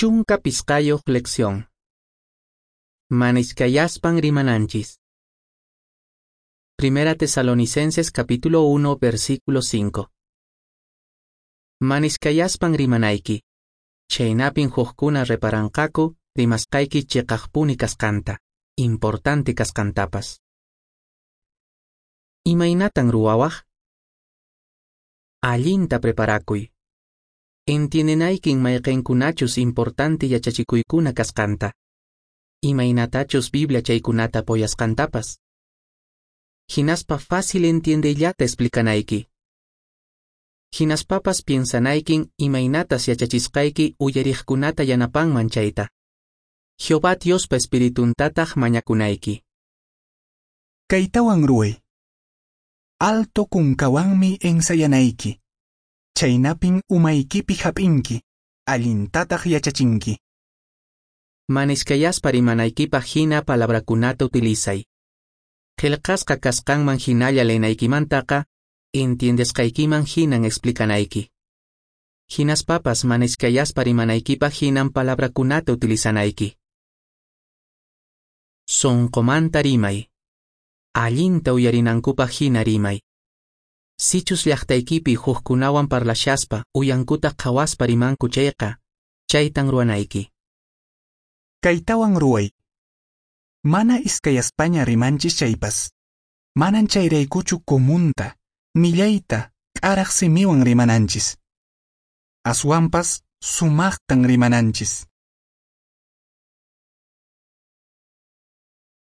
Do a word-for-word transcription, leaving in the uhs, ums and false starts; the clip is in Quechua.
Chunka pisqayoq lección. Mana iskayaspan rimananchis. Primera Tesalonicenses capítulo uno versículo cinco. Mana iskayaspan rimanayki. Chhaynapin hukkuna reparanqaku rimasqayki chiqaqpuni kasqanta, importante kasqantapas. Imaynatan ruwawaq? Allinta preparakuy. Entiendenaykin mayqinkunachus importante yachachikuykuna kasqanta. Imaynatachus Biblia chaykunata apoyasqantapas. Hinaspa fácil entiendeyllata explicanayki. Hinaspapas piensanaykin imaynatas yachachisqayki uyariqkunata yanapanman chayta. Jehová Diospa espirituntataq mañakunayki. Kaytawan ruway. Alto kunkawanmi ensayanayki. Chaynapin umaykipi hap'inki, allintataq yachachinki. Mana iskayaspa rimanaykipaq hina palabrakunata utilizay. Qillqasqa kasqanman hinalla leenaykimantaqa, entiendesqaykiman hinan explicanayki. Hinaspapas mana iskayaspa rimanaykipaq hinan palabrakunata utilizanayki. Sonqomanta rimay. Allinta uyarinankupaq hina rimay. Sichus llaqtaykipi hukkunawan parlashaspa uyankuta qhawaspa rimanku chayqa, chaytan ruwanayki. Kaytawan ruway. Mana iskayaspaña rimanchis chaypas. Manan chayraykuchu comunta, millayta, k'araq simiwan rimananchis. Aswanpas sumaqtan rimananchis.